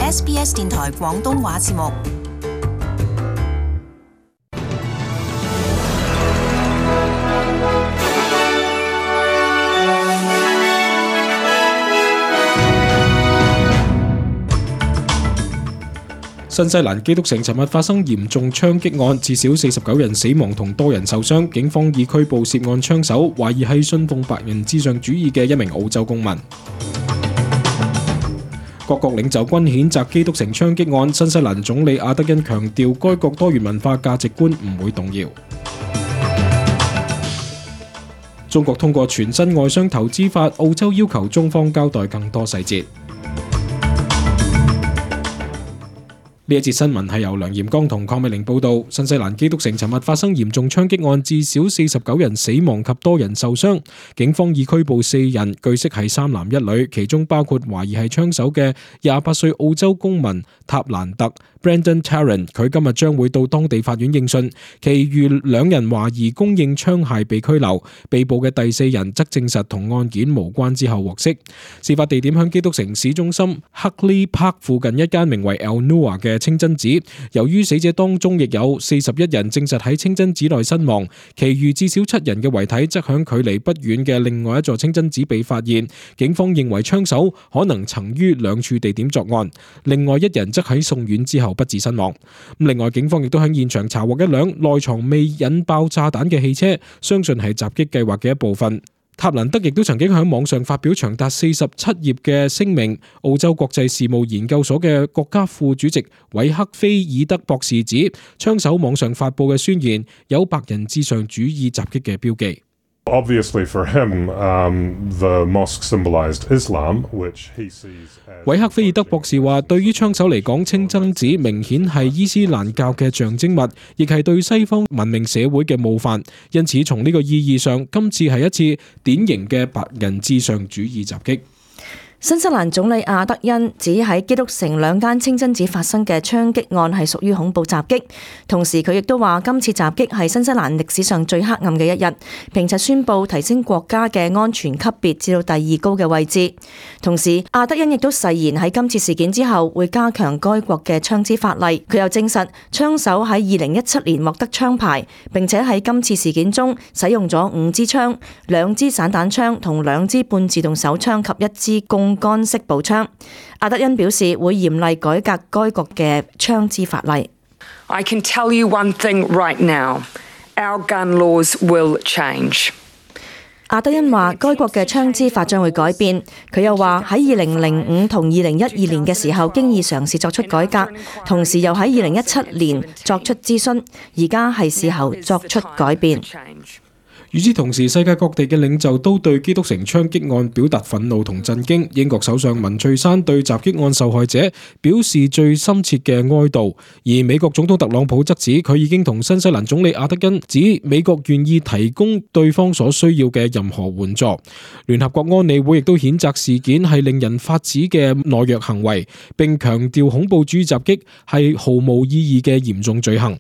SBS 電台廣東話節目。新西蘭基督城尋日發生嚴重槍擊案，至少49人死亡同多人受傷。警方已拘捕涉案槍手，懷疑係信奉白人至上主義嘅一名澳洲公民。各國領袖均譴責基督城槍擊案。新西蘭總理阿德恩強調，該國多元文化價值觀唔會動搖。中國通過全新外商投資法，澳洲要求中方交代更多細節。呢一節新聞係由梁炎剛同鄺美玲報道。新西蘭基督城尋日發生嚴重槍擊案，至少49人死亡及多人受傷。警方已拘捕4人，據悉係3男1女，其中包括懷疑係槍手嘅28歲澳洲公民塔蘭特 Brandon Tarrant， 佢今日將會到當地法院應訊。其餘2人懷疑供應槍械被拘留，被捕嘅第4人則證實同案件無關之後獲釋。事發地點響基督城市中心 Huckley Park 附近一間名為 El Noor 嘅清真寺，由於死者當中亦有41人證實喺清真寺內身亡，其餘至少7人嘅遺體則響距離不遠嘅另外一座清真寺被發現。警方認為槍手可能曾於2處地點作案，另外1人則喺送院之後不治身亡。另外，警方亦都喺現場查獲一輛內藏未引爆炸彈嘅汽車，相信係襲擊計劃嘅一部分。塔蘭德亦都曾經喺網上發表長達47頁嘅聲明。澳洲國際事務研究所嘅國家副主席韋克菲爾德博士指，槍手網上發布嘅宣言有白人至上主義襲擊嘅標記。Obviously for him, the mosque symbolized Islam, which he sees as... 韋克菲爾德博士話，對於槍手嚟講，清真寺明顯係伊斯蘭教嘅象徵物，亦係對西方文明社會嘅冒犯。因此，從呢個意義上，今次係一次典型嘅白人至上主義襲擊。新西蘭總理阿德恩指喺基督城2間清真寺發生嘅槍擊案係屬於恐怖襲擊，同時佢亦都話今次襲擊係新西蘭歷史上最黑暗嘅一日，並且宣布提升國家嘅安全級別至到第2高嘅位置。同時，阿德恩亦都誓言喺今次事件之後會加強該國嘅槍支法例。佢又證實槍手喺2017年獲得槍牌，並且喺今次事件中使用咗5支槍、2支散彈槍同2支半自動手槍及1支槓桿式步槍。阿德恩表示會嚴厲改革該國嘅槍支法例。I can tell you one thing right now, our gun laws will change. 阿德恩話該國嘅槍支法將會改變。佢又話喺2005同2012年嘅時候經已嘗試作出改革，同時又喺2017年作出諮詢，而家係時候作出改變。與此同時，世界各地嘅領袖都對基督城槍擊案表達憤怒同震驚。英國首相文翠珊對襲擊案受害者表示最深切嘅哀悼，而美國總統特朗普則指佢已經同新西蘭總理阿德恩指美國願意提供對方所需要嘅任何援助。聯合國安理會亦都譴責事件係令人髮指嘅懦弱行為，並強調恐怖主義襲擊係毫無意義嘅嚴重罪行。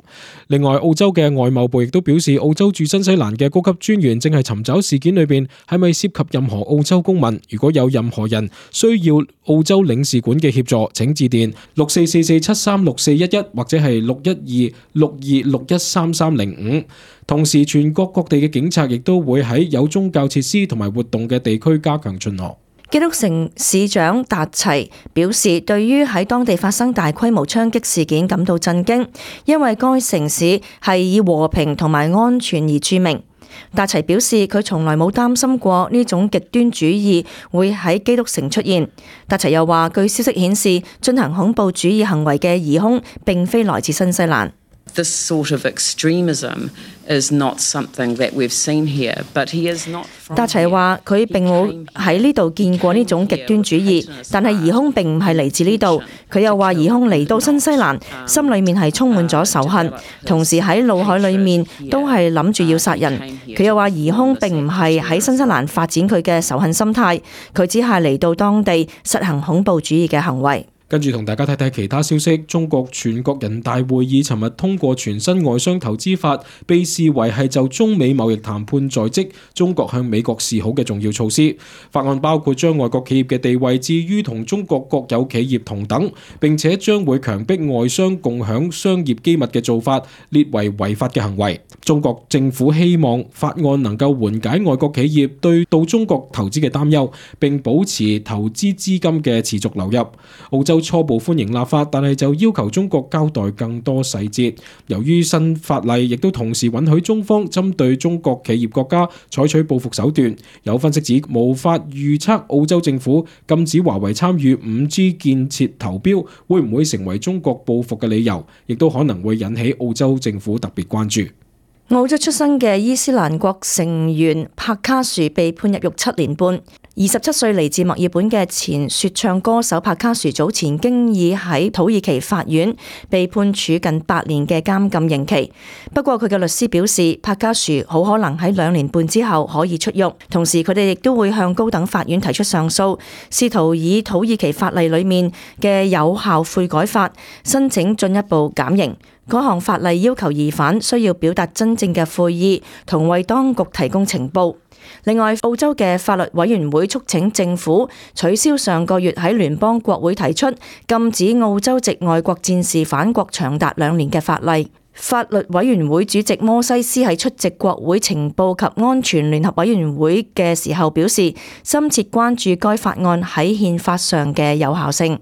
另外，澳洲嘅外貿部亦都表示，澳洲駐新西蘭嘅高級專員正係尋找事件裏邊係咪涉及任何澳洲公民。如果有任何人需要澳洲領事館嘅協助，請致電6444736411或者係61262613305。同時，全國各地嘅警察亦都會喺有宗教設施同埋活動嘅地區加強巡邏。基督城市長達齊表示，對於喺當地發生大規模槍擊事件感到震驚，因為該城市係以和平同埋安全而著名。達齊表示，佢從來冇擔心過呢種極端主義會喺基督城出現。達齊又話，據消息顯示，進行恐怖主義行為嘅疑兇並非來自新西蘭。This sort of extremism is not something that we've seen here, but he is not. 達齊話佢並冇喺呢度見過呢種極端主義，但係疑兇並唔係嚟自呢度。佢又話疑兇嚟到新西蘭，心裏面係充滿咗仇恨，同時喺腦海裏面都係諗住要殺人。佢又話疑兇並唔係喺新西蘭發展佢嘅仇恨心態，佢只係嚟到當地實行恐怖主義嘅行為。跟住同大家睇睇其他消息。中國全國人大會議尋日通過全新外商投資法，被視為係就中美貿易談判在即，中國向美國示好嘅重要措施。法案包括將外國企業嘅地位置於同中國國有企業同等，並且將會強迫外商共享商業機密嘅做法列為違法嘅行為。中國政府希望法案能夠緩解外國企業對到中國投資嘅擔憂，並保持投資資金嘅持續流入。澳洲初步歡迎立法，但係就要求中國交代更多細節。由於新法例亦都同時允許中方針對中國企業國家採取報復手段，有分析指無法預測澳洲政府禁止華為參與 5G 建設投標會唔會成為中國報復嘅理由，亦都可能會引起澳洲政府特別關注。澳洲出生嘅伊斯蘭國成員帕卡殊被判入獄7年半。27歲嚟自墨爾本嘅前說唱歌手帕卡殊早前經已喺土耳其法院被判處近8年嘅監禁刑期。不過佢嘅律師表示，帕卡殊好可能喺2年半之後可以出獄。同時佢哋亦都會向高等法院提出上訴，試圖以土耳其法例裏面嘅有效悔改法申請進一步減刑。嗰項法例要求疑犯需要表達真正嘅悔意，同為當局提供情報。另外，澳洲嘅法律委員會促請政府取消上個月喺聯邦國會提出禁止澳洲籍外國戰士返國長達2年嘅法例。法律委員會主席摩西斯喺出席國會情報及安全聯合委員會嘅時候表示，深切關注該法案喺憲法上嘅有效性。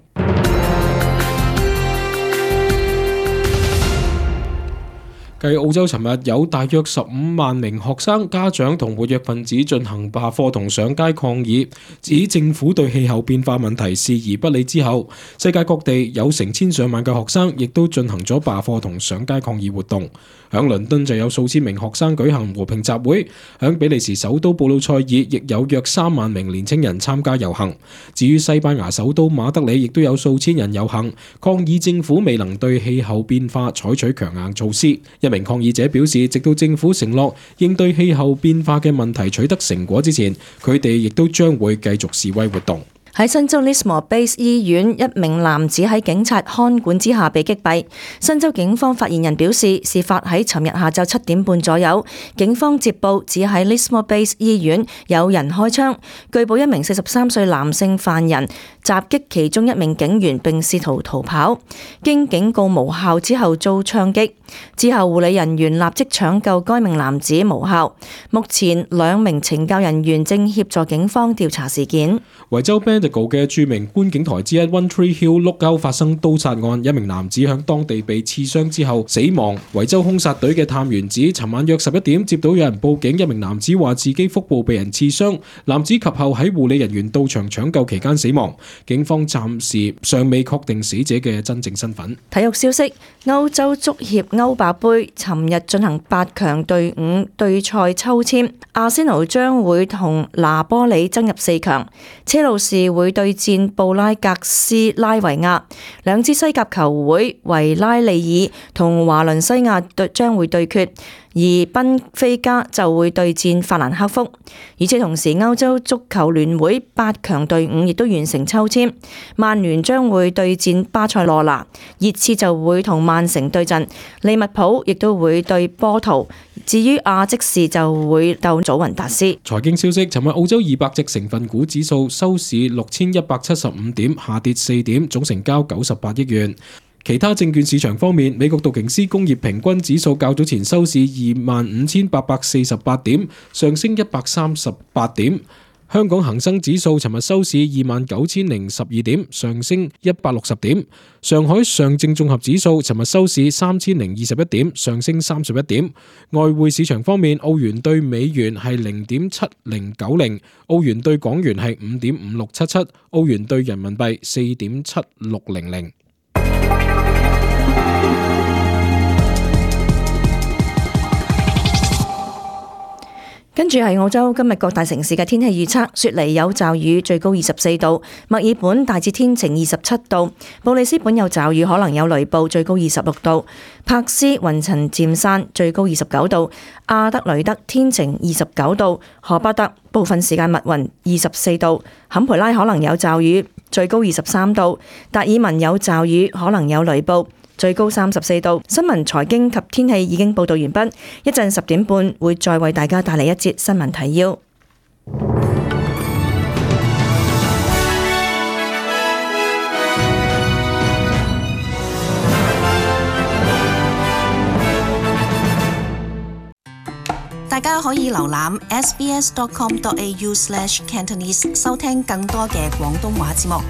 繼澳洲尋日有大約15萬名學生、家長同活躍分子進行罷課同上街抗議，指政府對氣候變化問題視而不理之後，世界各地有成千上萬嘅學生亦都進行咗罷課同上街抗議活動。響倫敦就有數千名學生舉行和平集會，響比利時首都布魯塞爾亦有約3萬名年青人參加遊行。至於西班牙首都馬德里，亦都有數千人遊行，抗議政府未能對氣候變化採取強硬措施。一名抗議者表示，直到政府承諾應對氣候變化嘅問題取得成果之前，佢哋亦都將會繼續示威活動。喺新州 Lismore Base 醫院，一名男子喺警察看管之下被擊斃。新州警方發言人表示，事發喺尋日下晝7點半左右，警方接報指喺 Lismore Base 醫院有人開槍，據報一名43歲男性犯人襲擊其中一名警員並試圖逃跑，經警告無效之後遭槍擊。之後護理人員立即搶救該名男子，無效。目前2名懲教人員正協助警方調查事件。維州 Bendigo 嘅著名觀景台之一 One Tree Hill 碌溝發生刀殺案，一名男子響當地被刺傷之後死亡。維州兇殺隊嘅探員指，尋晚約11點接到有人報警，一名男子話自己腹部被人刺傷，男子及後喺護理人員到場搶救期間死亡。警方暫時尚未確定死者嘅真正身份。體育消息：歐洲足協歐霸盃尋日進行8強隊伍對賽抽籤，阿仙奴將會同拿波里爭入4強，車路士會對戰布拉格斯拉維亞，兩支西甲球會維拉利爾同華倫西亞將會對決，而賓菲加就會對戰法蘭克福。而且同時，歐洲足球聯會8強隊伍亦都完成抽籤，曼聯將會對戰巴塞羅那，熱刺就會同曼城對陣，利物浦亦都會對波圖。至於亞積士就會鬥祖雲達斯。財經消息：尋日澳洲200隻成分股指數收市6175點，下跌4點，總成交98億元。其他證券市場方面，美國道瓊斯工業平均指數較早前收市25,848點，上升138點。香港恒生指數尋日收市29,012點，上升160點。上海上證綜合指數尋日收市3,021點，上升31點。外匯市場方面，澳元對美元係0.7090，澳元對港元係5.5677，澳元對人民幣4.7600。跟住係澳洲今日各大城市嘅天氣預測：雪梨有驟雨，最高24度；墨爾本大致天晴27度；布里斯本有驟雨，可能有雷暴，最高26度；珀斯雲層漸散，最高29度；阿德雷德天晴29度；荷巴特部分時間密雲24度；坎培拉可能有驟雨，最高23度；達爾文有驟雨，可能有雷暴，最高34度。新聞、財經及天氣已經報道完畢，一陣10點半會再為大家帶嚟一節新聞提要。大家可以瀏覽 sbs.com.au/Cantonese 收聽更多嘅廣東話節目。